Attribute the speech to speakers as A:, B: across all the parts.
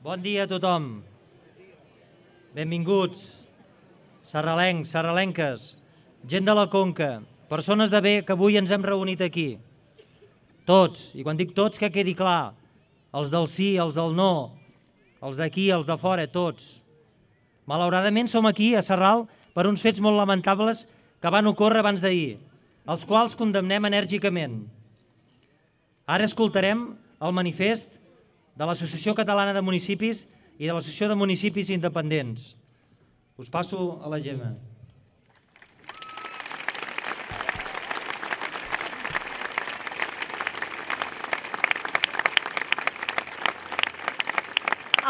A: Bon dia a tothom. Benvinguts, sarralencs, sarralenques, gent de la Conca, persones de bé que avui ens hem reunit aquí. Tots, i quan dic tots que quedi clar, els del sí, els del no, els d'aquí, els de fora, tots. Malauradament som aquí a Sarral per uns fets molt lamentables que van ocórrer abans d'ahir, els quals condemnem enèrgicament. Ara escoltarem el manifest de l'Associació Catalana de Municipis i de l'Associació de Municipis Independents. Us passo a la Gemma.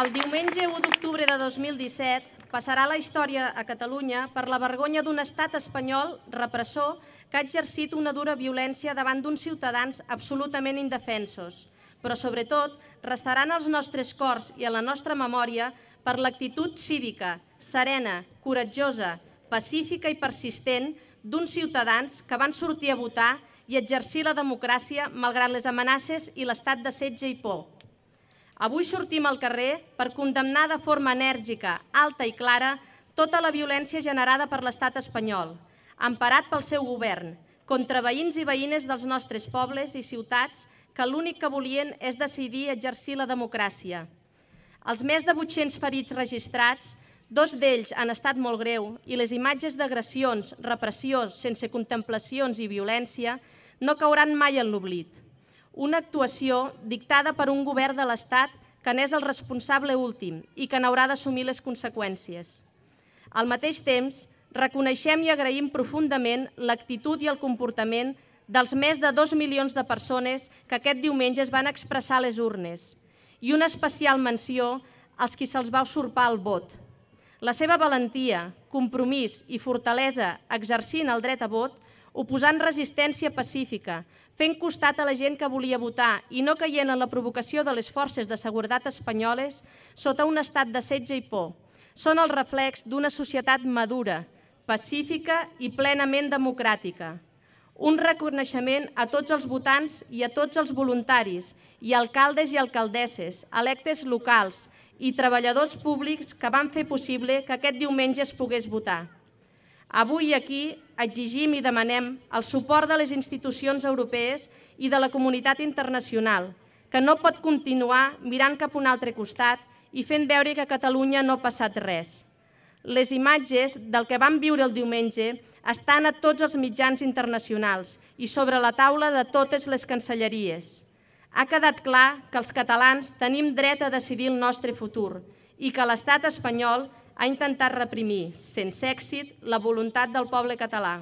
B: El diumenge 1 d'octubre de 2017 passarà la història a Catalunya per la vergonya d'un estat espanyol repressor que ha exercit una dura violència davant d'uns ciutadans absolutament indefensos, però sobretot restaran als nostres cors i a la nostra memòria per l'actitud cívica, serena, coratjosa, pacífica i persistent d'uns ciutadans que van sortir a votar i exercir la democràcia malgrat les amenaces i l'estat de setge i por. Avui sortim al carrer per condemnar de forma enèrgica, alta i clara tota la violència generada per l'estat espanyol, emparat pel seu govern, contra veïns i veïnes dels nostres pobles i ciutats que l'únic que volien és decidir exercir la democràcia. Els més de 800 ferits registrats, 2 d'ells han estat molt greu i les imatges d'agressions, repressió, sense contemplacions i violència no cauran mai en l'oblit. Una actuació dictada per un govern de l'Estat que n'és el responsable últim i que n'haurà d'assumir les conseqüències. Al mateix temps, reconeixem i agraïm profundament l'actitud i el comportament dels més de 2 milions de persones que aquest diumenge es van expressar a les urnes i una especial menció als qui se'ls va usurpar el vot. La seva valentia, compromís i fortalesa exercint el dret a vot, oposant resistència pacífica, fent costat a la gent que volia votar i no caient en la provocació de les forces de seguretat espanyoles sota un estat de setge i por. Són el reflex d'una societat madura, pacífica i plenament democràtica. Un reconeixement a tots els votants i a tots els voluntaris i alcaldes i alcaldesses, electes locals i treballadors públics que van fer possible que aquest diumenge es pogués votar. Avui aquí exigim i demanem el suport de les institucions europees i de la comunitat internacional, que no pot continuar mirant cap a un altre costat i fent veure que a Catalunya no ha passat res. Les imatges del que vam viure el diumenge estan a tots els mitjans internacionals i sobre la taula de totes les cancelleries. Ha quedat clar que els catalans tenim dret a decidir el nostre futur i que l'estat espanyol ha intentat reprimir, sense èxit, la voluntat del poble català.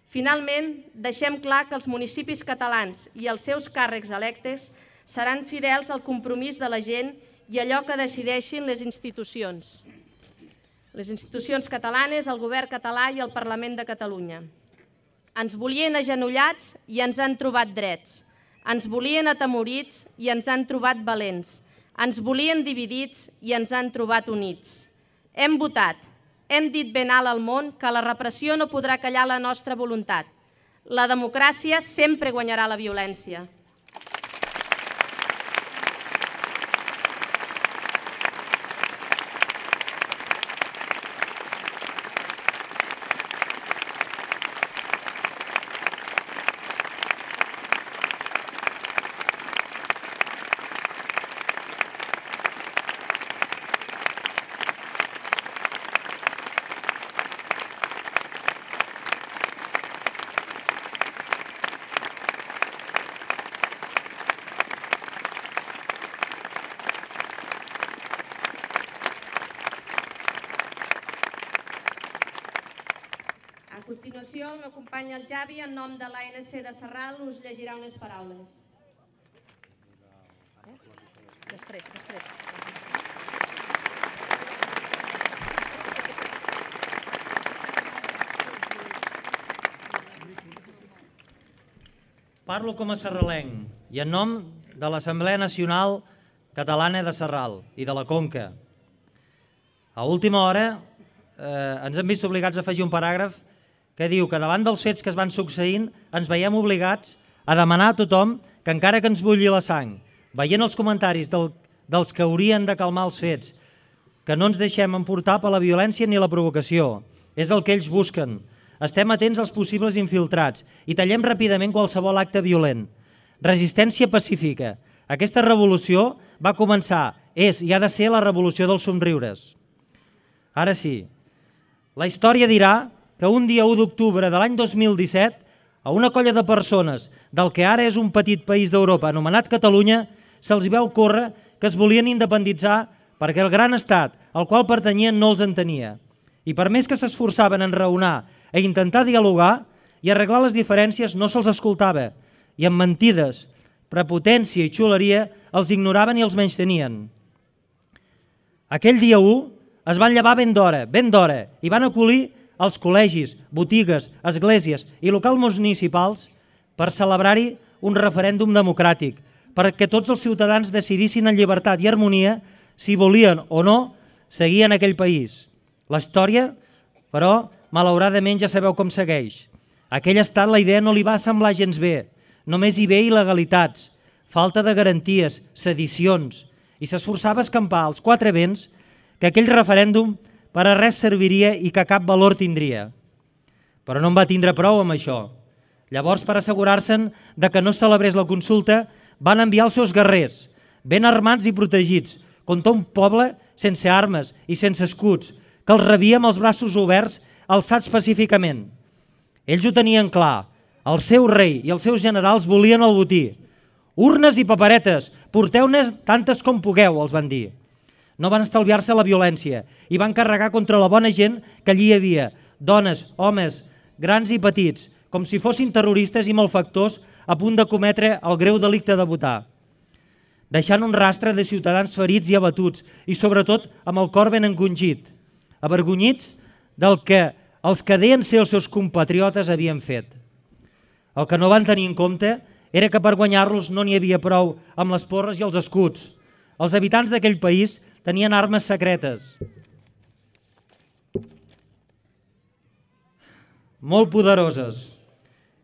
B: Finalment, deixem clar que els municipis catalans i els seus càrrecs electes seran fidels al compromís de la gent i allò que decideixin les institucions. Les institucions catalanes, el govern català i el Parlament de Catalunya. Ens volien agenollats i ens han trobat drets. Ens volien atemorits i ens han trobat valents. Ens volien dividits i ens han trobat units. Hem votat, hem dit ben alt al món que la repressió no podrà callar la nostra voluntat. La democràcia sempre guanyarà la violència. A continuació, m'acompanya el Javi, en nom de l'ANC de Sarral, us llegirà unes paraules. Després.
A: Parlo com a sarralenc i en nom de l'Assemblea Nacional Catalana de Sarral i de la Conca. A última hora ens hem vist obligats a afegir un paràgraf que diu que davant dels fets que es van succeint ens veiem obligats a demanar a tothom que encara que ens bulli la sang, veient els comentaris dels que haurien de calmar els fets, que no ens deixem emportar per la violència ni la provocació. És el que ells busquen. Estem atents als possibles infiltrats i tallem ràpidament qualsevol acte violent. Resistència pacífica. Aquesta revolució va començar, és i ha de ser la revolució dels somriures. Ara sí, la història dirà que un dia 1 d'octubre de l'any 2017, a una colla de persones del que ara és un petit país d'Europa anomenat Catalunya, se'ls va ocórrer que es volien independitzar perquè el gran estat al qual pertanyien no els entenia. I per més que s'esforçaven en raonar i intentar dialogar i arreglar les diferències, no se'ls escoltava. I amb mentides, prepotència i xuleria els ignoraven i els menystenien. Aquell dia 1 es van llevar ben d'hora, i van acollir els col·legis, botigues, esglésies i locals municipals per celebrar-hi un referèndum democràtic, perquè tots els ciutadans decidissin en llibertat i harmonia si volien o no seguir en aquell país. La història, però, malauradament ja sabeu com segueix. A aquell estat la idea no li va semblar gens bé. Només hi ve il·legalitats, falta de garanties, sedicions, i s'esforçava a escampar als quatre vents que aquell referèndum per a res serviria i que cap valor tindria. Però no en va tindre prou amb això. Llavors, per assegurar-se'n de que no es celebrés la consulta, van enviar els seus guerrers, ben armats i protegits, contra un poble sense armes i sense escuts, que els rebia amb els braços oberts, alçats pacíficament. Ells ho tenien clar. El seu rei i els seus generals volien el botí. Urnes i paperetes, porteu-ne tantes com pugueu, els van dir. No van estalviar-se la violència i van carregar contra la bona gent que allí hi havia, dones, homes, grans i petits, com si fossin terroristes i malfactors a punt de cometre el greu delicte de votar, deixant un rastre de ciutadans ferits i abatuts i sobretot amb el cor ben encongit, avergonyits del que els que deien ser els seus compatriotes havien fet. El que no van tenir en compte era que per guanyar-los no n'hi havia prou amb les porres i els escuts. Els habitants d'aquell país tenien armes secretes, molt poderoses.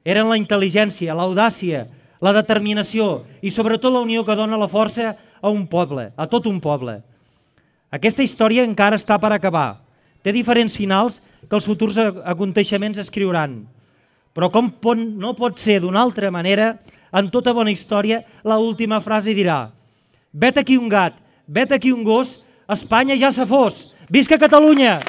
A: Eren la intel·ligència, l'audàcia, la determinació i sobretot la unió que dona la força a un poble, a tot un poble. Aquesta història encara està per acabar. Té diferents finals que els futurs aconteixements escriuran. Però com no pot ser d'una altra manera, en tota bona història, l'última frase dirà: vet aquí un gat, vet aquí un gos, Espanya ja se fos. Visca Catalunya!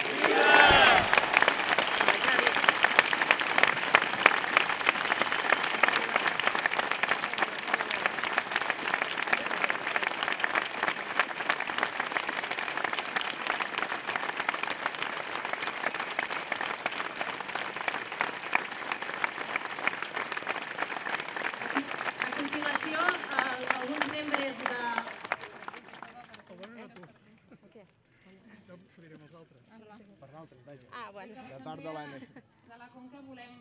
C: De la Conca volem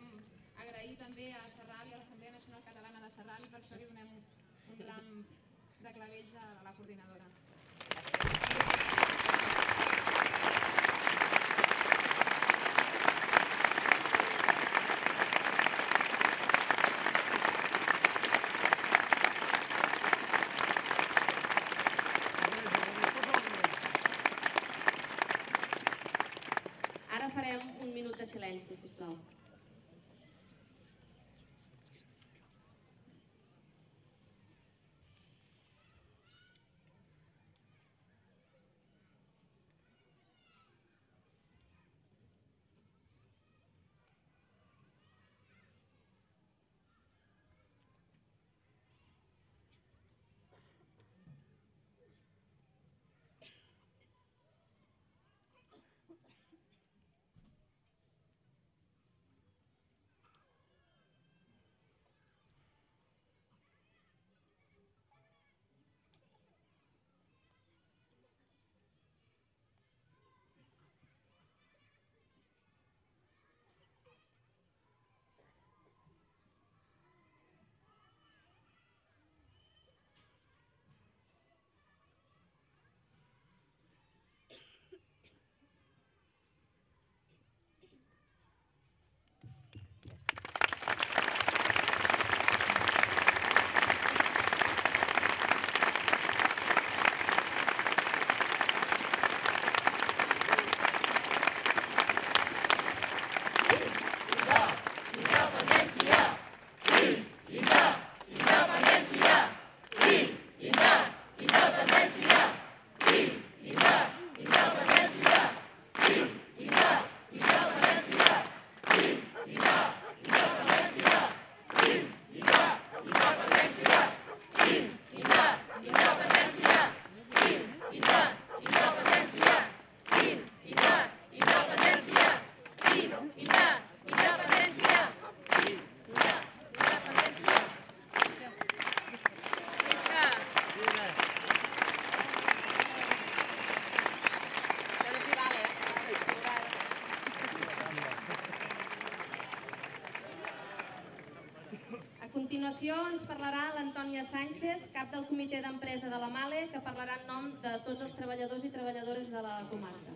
C: agrair també a Serral i a l'Assemblea Nacional Catalana de Serral i per això li donem un ram de clavells a la coordinadora.
B: Ara farem un minut de silenci, sisplau. continuació ens parlarà l'Antònia Sánchez, cap del comitè d'empresa de la MALE, que parlarà en nom de tots els treballadors i treballadores de la comarca.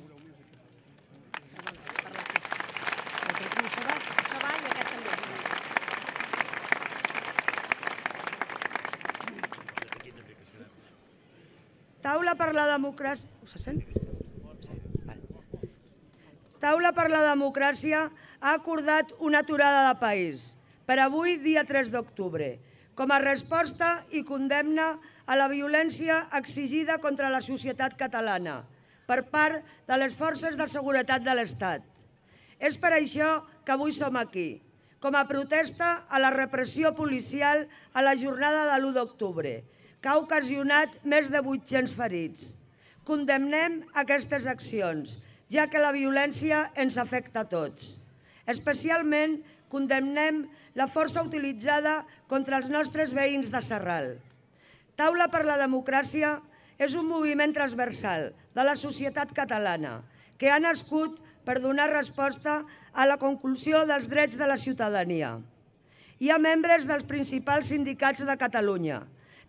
B: Això va i aquest també.
D: Taula per la democràcia... Se sent? Taula per la democràcia ha acordat una aturada de país per avui, dia 3 d'octubre, com a resposta i condemna a la violència exigida contra la societat catalana per part de les forces de seguretat de l'Estat. És per això que avui som aquí, com a protesta a la repressió policial a la jornada de l'1 d'octubre, que ha ocasionat més de 800 ferits. Condemnem aquestes accions, ja que la violència ens afecta a tots. Especialment condemnem la força utilitzada contra els nostres veïns de Sarral. Taula per la democràcia és un moviment transversal de la societat catalana que ha nascut per donar resposta a la conculsió dels drets de la ciutadania. Hi ha membres dels principals sindicats de Catalunya.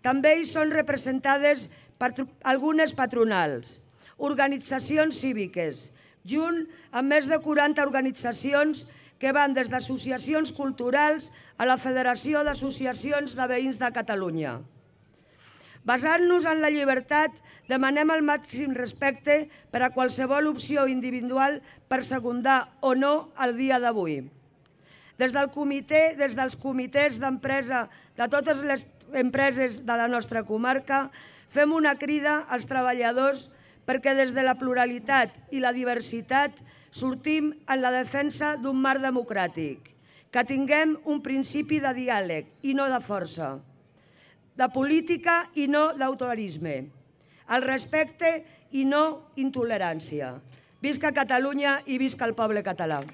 D: També hi són representades per algunes patronals, organitzacions cíviques, junt amb més de 40 organitzacions que van des d'associacions culturals a la Federació d'Associacions de Veïns de Catalunya. Basant-nos en la llibertat, demanem el màxim respecte per a qualsevol opció individual per secundar o no el dia d'avui. Des dels comitès d'empresa de totes les empreses de la nostra comarca, fem una crida als treballadors perquè des de la pluralitat i la diversitat sortim en la defensa d'un marc democràtic, que tinguem un principi de diàleg i no de força, de política i no d'autorisme, el respecte i no intolerància. Visca Catalunya i visca el poble català.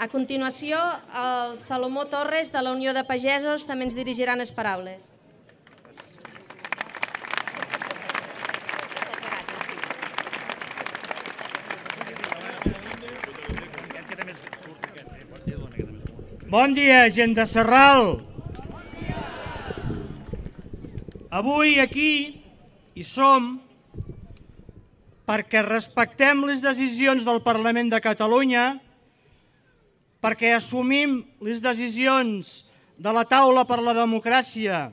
B: A continuació, el Salomó Torres, de la Unió de Pagesos, també ens dirigiran les paraules.
E: Bon dia, gent de Sarral. Avui aquí hi som perquè respectem les decisions del Parlament de Catalunya, perquè assumim les decisions de la Taula per la Democràcia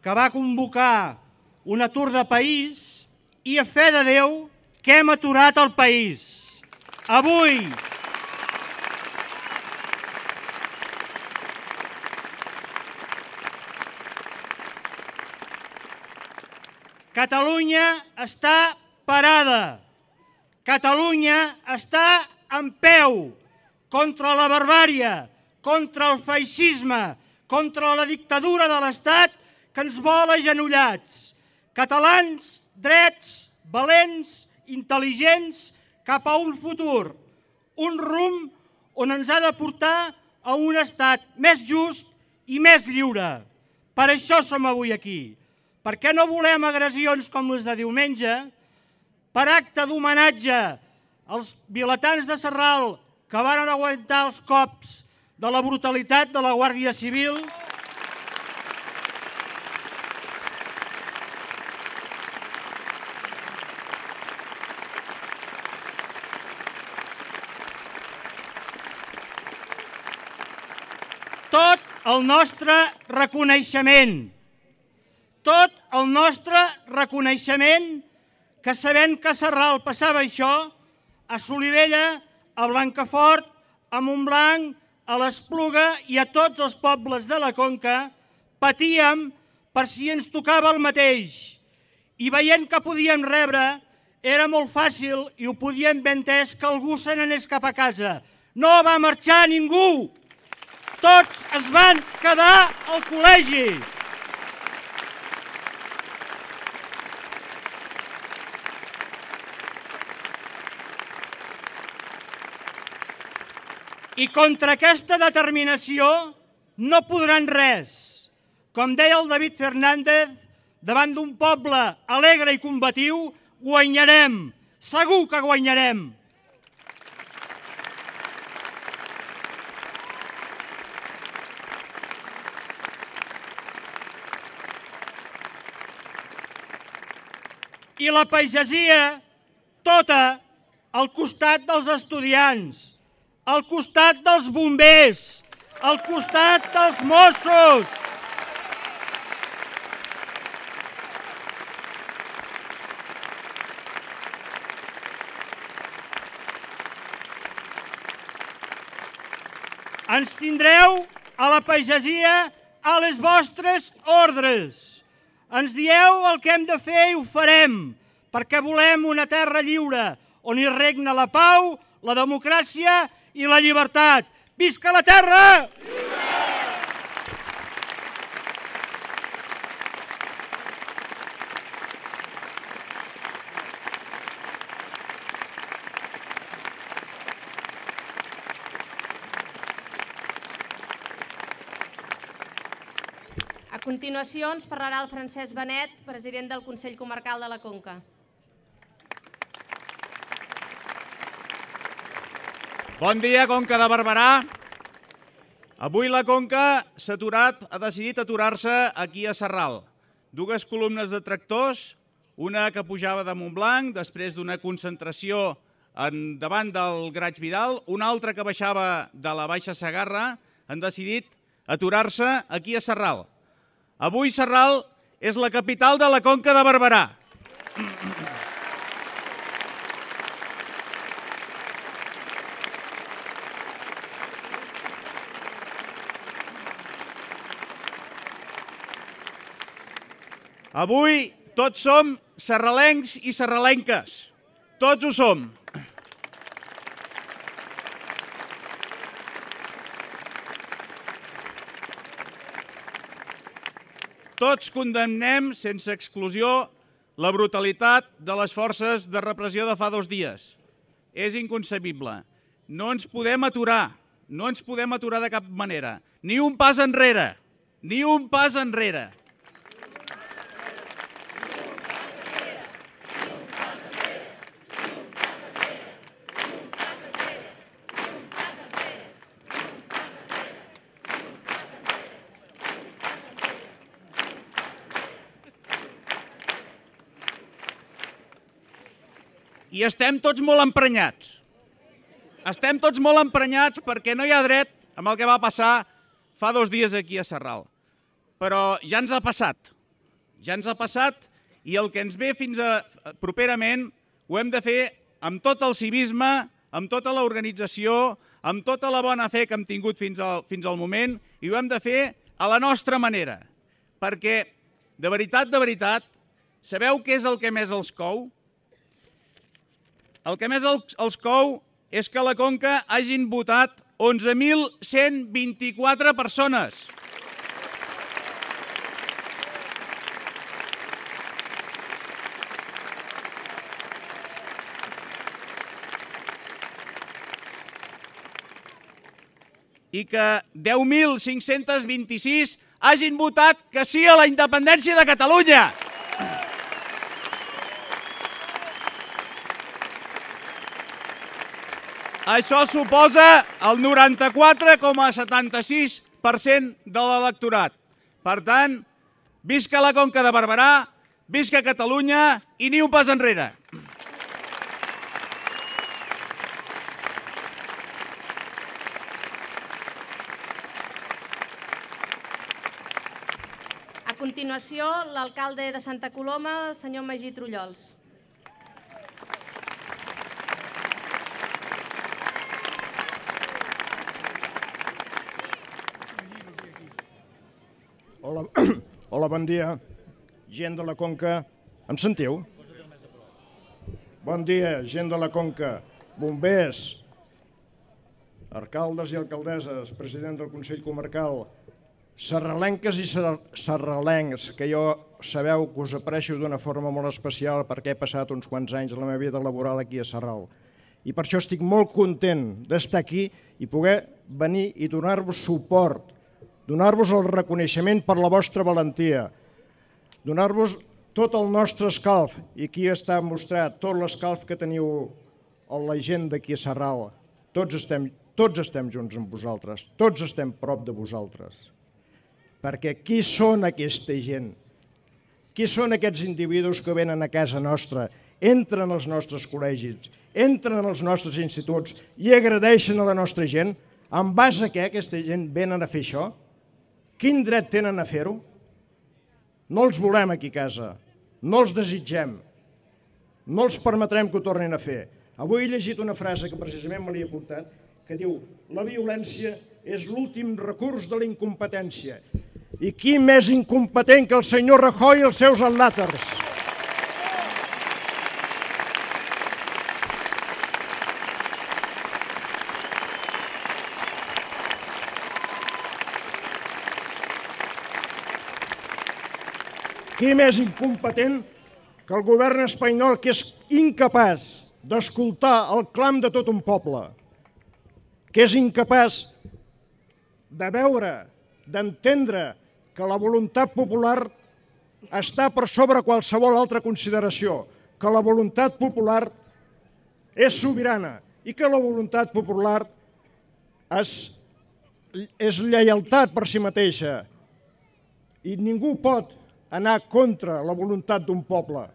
E: que va convocar un atur de país i a fe de Déu que hem aturat el país. Avui, Catalunya està parada. Catalunya està en peu contra la barbàrie, contra el feixisme, contra la dictadura de l'Estat que ens vol agenollats. Catalans, drets, valents, intel·ligents, cap a un futur, un rumb on ens ha de portar a un estat més just i més lliure. Per això som avui aquí. Perquè no volem agressions com les de diumenge, per acte d'homenatge als vilatans de Sarral que van aguantar els cops de la brutalitat de la Guàrdia Civil. Tot el nostre reconeixement. Tot el nostre reconeixement que sabent que a Sarral passava això, a Solivella, a Blancafort, a Montblanc, a l'Espluga i a tots els pobles de la Conca patíem per si ens tocava el mateix. I veient que podíem rebre, era molt fàcil i ho podíem haver entès que algú se n'anés cap a casa. No va marxar ningú. Tots es van quedar al col·legi. I contra aquesta determinació no podran res. Com deia el David Fernández, davant d'un poble alegre i combatiu, guanyarem. Segur que guanyarem. I la pagesia, tota, al costat dels estudiants, al costat dels bombers, al costat dels Mossos. Ens tindreu a la pagesia a les vostres ordres. Ens dieu el que hem de fer i ho farem, perquè volem una terra lliure, on hi regna la pau, la democràcia i la llibertat. Visca la terra!
B: A continuació ens parlarà el Francesc Benet, president del Consell Comarcal de la Conca.
F: Bon dia, Conca de Barberà. Avui la Conca ha decidit aturar-se aquí a Sarral. Dues columnes de tractors, una que pujava de Montblanc després d'una concentració davant del Graig Vidal, una altra que baixava de la Baixa Segarra, han decidit aturar-se aquí a Sarral. Avui Sarral és la capital de la Conca de Barberà. Avui tots som sarralencs i sarralenques. Tots ho som. Tots condemnem, sense exclusió, la brutalitat de les forces de repressió de fa 2 dies. És inconcebible. No ens podem aturar. No ens podem aturar de cap manera. Ni un pas enrere. Ni un pas enrere. I estem tots molt emprenyats. Estem tots molt emprenyats perquè no hi ha dret amb el que va passar fa 2 dies aquí a Sarral. Però ja ens ha passat. Ja ens ha passat i el que ens ve fins a properament ho hem de fer amb tot el civisme, amb tota l'organització, amb tota la bona fe que hem tingut fins al moment i ho hem de fer a la nostra manera. Perquè, de veritat, sabeu què és el que més els cou? El que més els cou és que a la Conca hagin votat 11.124 persones. I que 10.526 hagin votat que sí a la independència de Catalunya. Això suposa el 94,76% de l'electorat. Per tant, visca la Conca de Barberà, visca Catalunya i ni un pas enrere.
B: A continuació, l'alcalde de Santa Coloma, el senyor Magí Trullols.
G: Hola, bon dia. Gent de la Conca, em sentiu? Bon dia, gent de la Conca, bombers, alcaldes i alcaldesses, president del Consell Comarcal, sarralenques i sarralencs, que jo sabeu que us aprecio d'una forma molt especial perquè he passat uns quants anys de la meva vida laboral aquí a Sarral. I per això estic molt content d'estar aquí i poder venir i donar-vos suport, donar-vos el reconeixement per la vostra valentia, donar-vos tot el nostre escalf, i aquí està mostrat tot l'escalf que teniu la gent d'aquí a Sarral. Tots estem junts amb vosaltres, tots estem prop de vosaltres. Perquè qui són aquesta gent? Qui són aquests individus que venen a casa nostra, entren als nostres col·legis, entren als nostres instituts i agradeixen a la nostra gent? En base a què aquesta gent venen a fer això? Quin dret tenen a fer-ho? No els volem aquí a casa, no els desitgem, no els permetrem que ho tornin a fer. Avui he llegit una frase que precisament me l'he apuntat, que diu: la violència és l'últim recurs de la incompetència. I qui més incompetent que el senyor Rajoy i els seus al·làters? Qui més incompetent que el govern espanyol, que és incapaç d'escoltar el clam de tot un poble, que és incapaç de veure, d'entendre que la voluntat popular està per sobre qualsevol altra consideració, que la voluntat popular és sobirana i que la voluntat popular és lleialtat per si mateixa. I ningú pot anar contra la voluntat d'un poble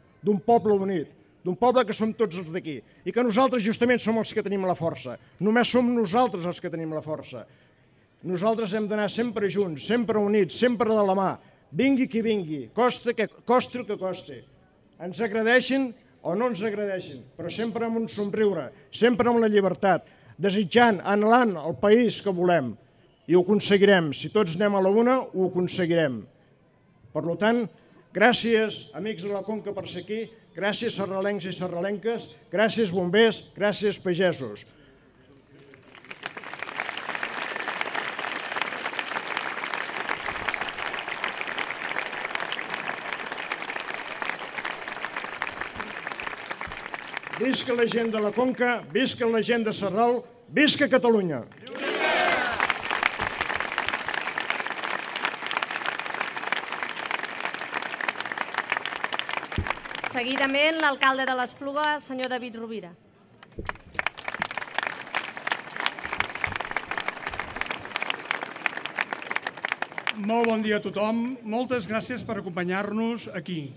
G: unit, d'un poble que som tots els d'aquí, i que nosaltres justament som els que tenim la força. Només som nosaltres els que tenim la força. Nosaltres hem d'anar sempre junts, sempre units, sempre de la mà, vingui qui vingui, costi el que costi. Ens agradeixin o no ens agradeixin, però sempre amb un somriure, sempre amb la llibertat, desitjant, anhelant el país que volem. I ho aconseguirem. Si tots anem a la una, ho aconseguirem. Per tant, gràcies, amics de la Conca, per ser aquí, gràcies sarralencs i sarralenques, gràcies bombers, gràcies pagesos. Visca la gent de la Conca, visca la gent de Sarral, visca Catalunya!
B: Seguidament, l'alcalde de l'Espluga, el senyor David Rovira.
H: Molt bon dia a tothom. Moltes gràcies per acompanyar-nos aquí.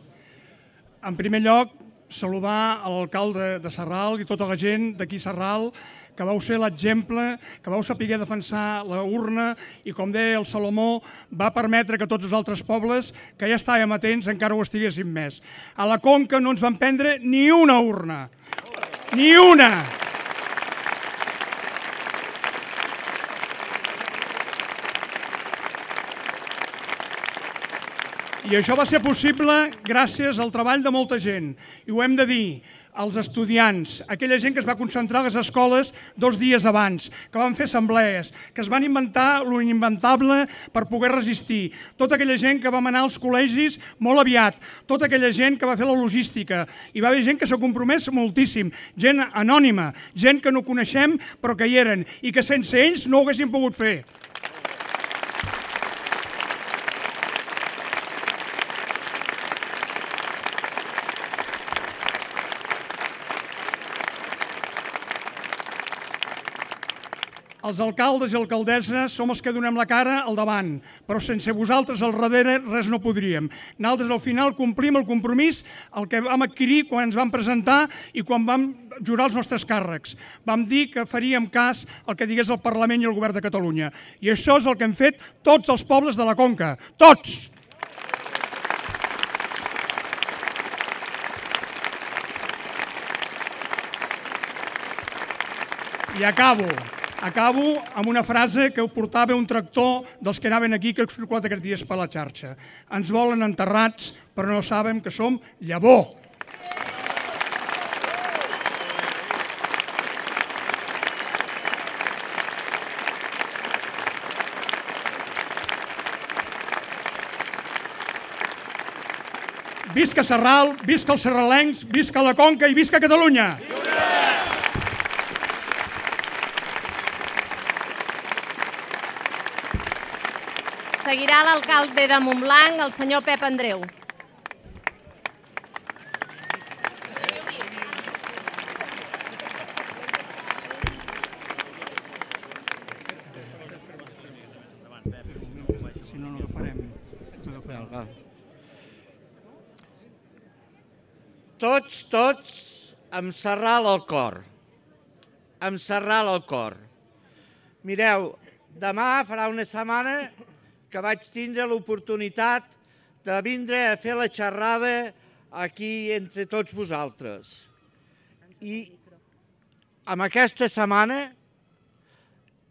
H: En primer lloc, saludar l'alcalde de Sarral i tota la gent d'aquí a Sarral, que vau ser l'exemple, que vau saber defensar la urna i, com deia el Salomó, va permetre que tots els altres pobles que ja estàvem atents encara ho estiguessin més. A la Conca no ens van prendre ni una urna. Ni una! I això va ser possible gràcies al treball de molta gent. I ho hem de dir, els estudiants, aquella gent que es va concentrar a les escoles 2 dies abans, que van fer assemblees, que es van inventar l'inventable per poder resistir, tota aquella gent que vam anar als col·legis molt aviat, tota aquella gent que va fer la logística. Hi va haver gent que s'ha compromès moltíssim, gent anònima, gent que no coneixem però que hi eren i que sense ells no ho haguessin pogut fer. Els alcaldes i alcaldesses som els que donem la cara al davant, però sense vosaltres al darrere res no podríem. Nosaltres al final complim el compromís, el que vam adquirir quan ens vam presentar i quan vam jurar els nostres càrrecs. Vam dir que faríem cas al que digués el Parlament i el Govern de Catalunya. I això és el que hem fet tots els pobles de la Conca. Tots! I acabo. Acabo amb una frase que ho portava un tractor dels que anaven aquí, que he circulat aquests dies per la xarxa. Ens volen enterrats, però no saben que som llavor. Visca Sarral, visca els serralencs, visca la Conca i visca Catalunya!
B: Seguirà l'alcalde de Montblanc, el senyor Pep Andreu.
H: Si no, no agafarem.
E: Tots, amb Sarral al cor. Amb Sarral al cor. Mireu, demà farà una setmana que vaig tindre l'oportunitat de vindre a fer la xerrada aquí entre tots vosaltres. I amb aquesta setmana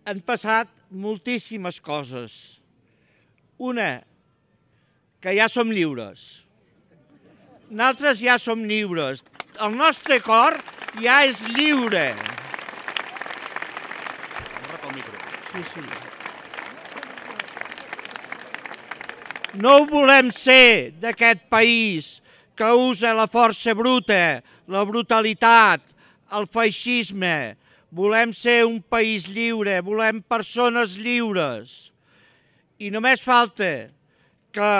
E: han passat moltíssimes coses. Una, que ja som lliures. Nosaltres ja som lliures. El nostre cor ja és lliure. No volem ser d'aquest país que usa la força bruta, la brutalitat, el feixisme. Volem ser un país lliure, volem persones lliures. I només falta que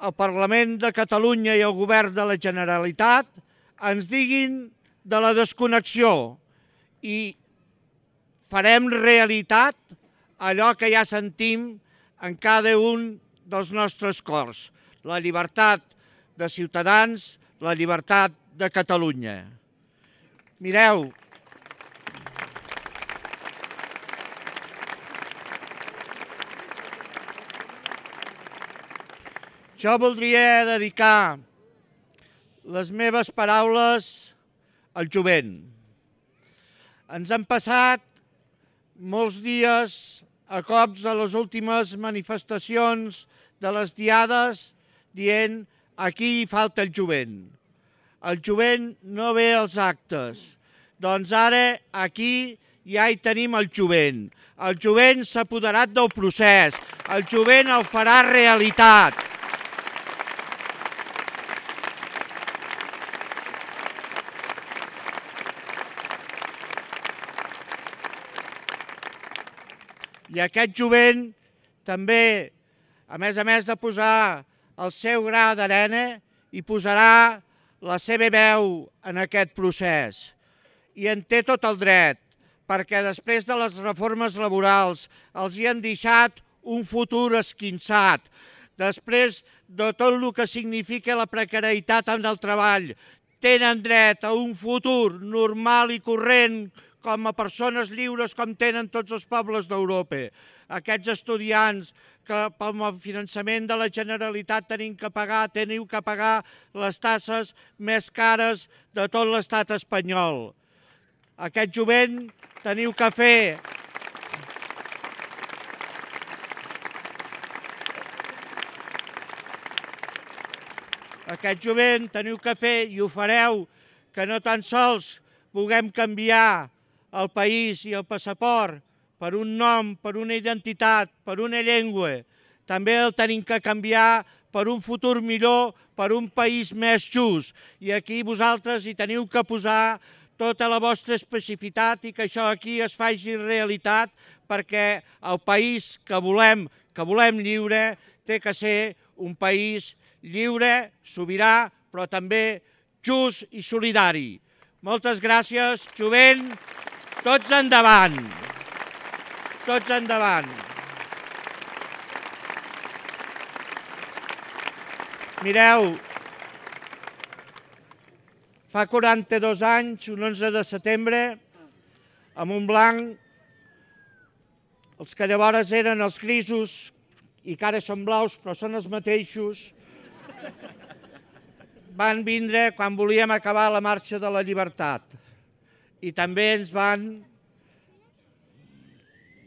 E: el Parlament de Catalunya i el Govern de la Generalitat ens diguin de la desconnexió i farem realitat allò que ja sentim en cada un dels nostres cors, la llibertat de Ciutadans, la llibertat de Catalunya. Mireu, jo voldria dedicar les meves paraules al jovent. Ens han passat molts dies a cops a les últimes manifestacions de les diades dient aquí hi falta el jovent. El jovent no ve als actes. Doncs ara aquí ja hi tenim el jovent. El jovent s'ha apoderat del procés. El jovent el farà realitat. I aquest jovent també, a més de posar el seu gra d'arena, hi posarà la seva veu en aquest procés. I en té tot el dret, perquè després de les reformes laborals els hi han deixat un futur esquinçat. Després de tot el que significa la precarietat en el treball, tenen dret a un futur normal i corrent com a persones lliures com tenen tots els pobles d'Europa. Aquests estudiants que pel finançament de la Generalitat teniu que pagar les tasses més cares de tot l'estat espanyol. Aquest jovent teniu que fer i ho fareu, que no tan sols puguem canviar el país i el passaport per un nom, per una identitat, per una llengua. També el tenim que canviar per un futur millor, per un país més just. I aquí vosaltres hi teniu que posar tota la vostra especificitat i que això aquí es faci realitat, perquè el país que volem lliure té que ser un país lliure, sobirà, però també just i solidari. Moltes gràcies, jovent. Tots endavant. Tots endavant. Mireu, fa 42 anys, un 11 de setembre, a Montblanc, els que llavors eren els grisos i que ara són blaus, però són els mateixos, van vindre quan volíem acabar la marxa de la llibertat. I també ens van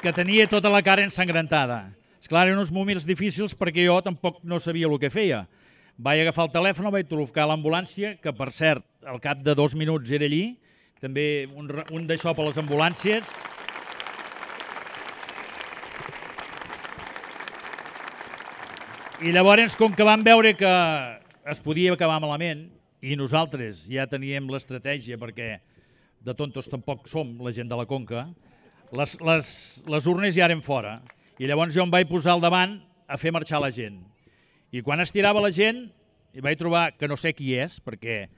I: que tenia tota la cara ensangrentada. Esclar, eren uns moments difícils perquè jo tampoc no sabia el que feia. Vaig agafar el telèfon, vaig trucar a l'ambulància, que per cert, al cap de 2 minuts era allí, també un d'això per les ambulàncies. I llavors, com que vam veure que es podia acabar malament, i nosaltres ja teníem l'estratègia, perquè de tontos tampoc som la gent de la Conca, les urnes ja eren fora. I llavors jo em vaig posar al davant a fer marxar la gent. I quan estirava la gent, vaig trobar que no sé qui és, perquè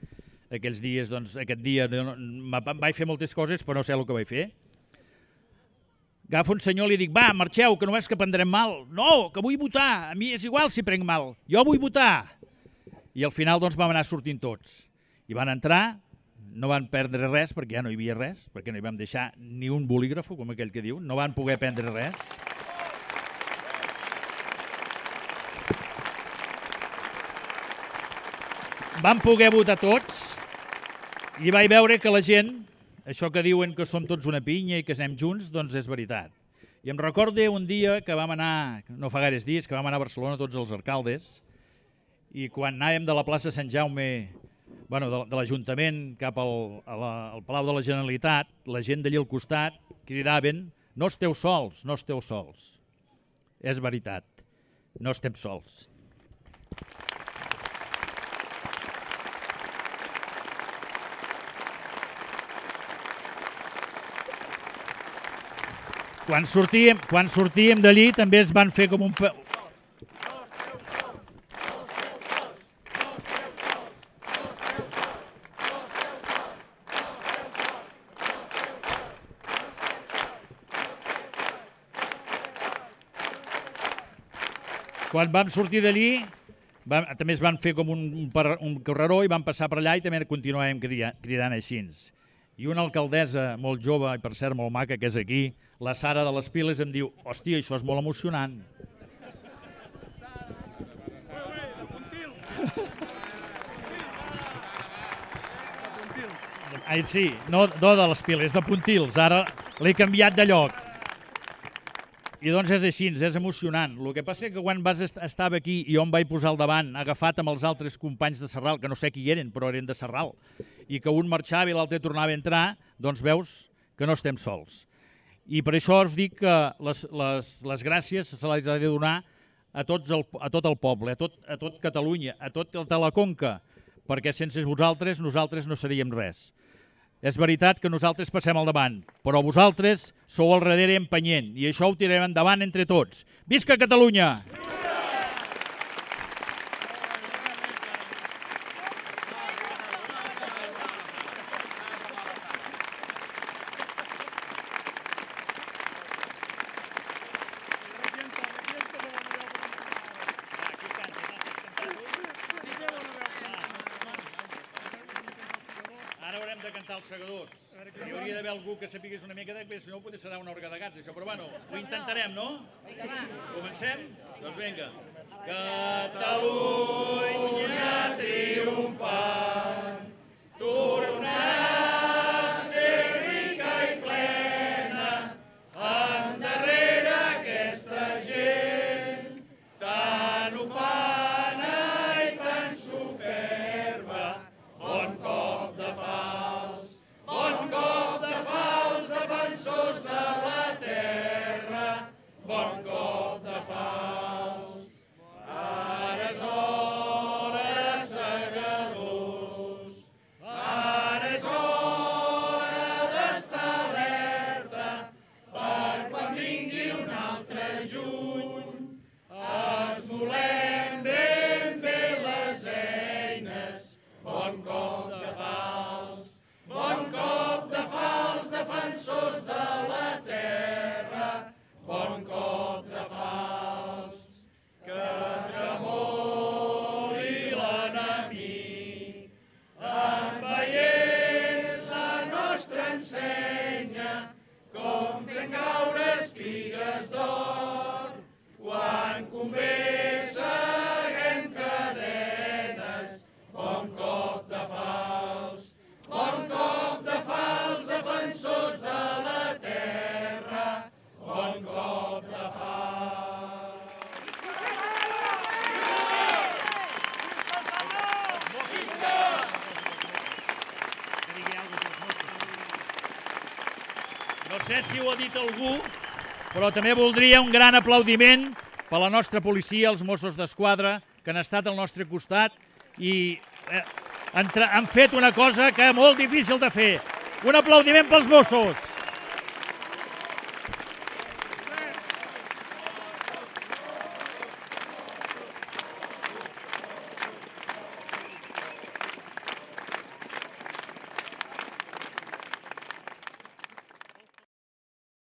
I: aquells dies, doncs, aquest dia vaig fer moltes coses, però no sé el que vaig fer. Agafo un senyor i li dic, va, marxeu, que només que prendrem mal. No, que vull votar, a mi és igual si prenc mal, jo vull votar. I al final doncs vam anar sortint tots. I van entrar, no van perdre res, perquè ja no hi havia res, perquè no hi vam deixar ni un bolígrafo, com aquell que diu, no van poder prendre res. Vam poder votar tots i vaig veure que la gent, això que diuen que som tots una pinya i que anem junts, doncs és veritat. I em recordo un dia que vam anar, no fa gaires dies, que vam anar a Barcelona tots els alcaldes, i quan anàvem de la plaça Sant Jaume, de l'Ajuntament cap al Palau de la Generalitat, la gent d'allí al costat cridaven, no esteu sols, no esteu sols. És veritat, no estem sols. Quan sortíem d'allí també es van fer com un... Quan vam sortir d'allí també es van fer com un carreró i vam passar per allà i també continuàvem cridant així. I una alcaldessa molt jove i per cert molt maca que és aquí, la Sara de les Piles, em diu, hòstia, això és molt emocionant. Sí, no de les Piles, de Pontils, ara l'he canviat de lloc. I doncs és així, és emocionant. El que passa és que quan estava aquí i jo em vaig posar al davant, agafat amb els altres companys de Sarral, que no sé qui eren, però eren de Sarral, i que un marxava i l'altre tornava a entrar, doncs veus que no estem sols. I per això us dic que les gràcies se les ha de donar a tot el poble, a tot Catalunya, a tota la Conca, perquè sense vosaltres nosaltres no seríem res. És veritat que nosaltres passem al davant, però vosaltres sou al darrere empenyent i això ho tirarem endavant entre tots. Visca Catalunya! Ara haurem de cantar els segadors. Hi hauria d'haver algú que sapigués una mica si no potser serà una orga de gats, això. Però bueno, ho intentarem, no? Comencem? Doncs vinga. Catalunya triomfant, tornarà a ser rica i plena, endarrere aquesta gent, tan ufana i tan superba, bon cop de fals, defensors de la terra, bon cop de fals. Ara és hora, segadors, ara és hora No sé si ho ha dit algú, però també voldria un gran aplaudiment per la nostra policia, els Mossos d'Esquadra, que han estat al nostre costat i han fet una cosa que és molt difícil de fer. Un aplaudiment pels Mossos.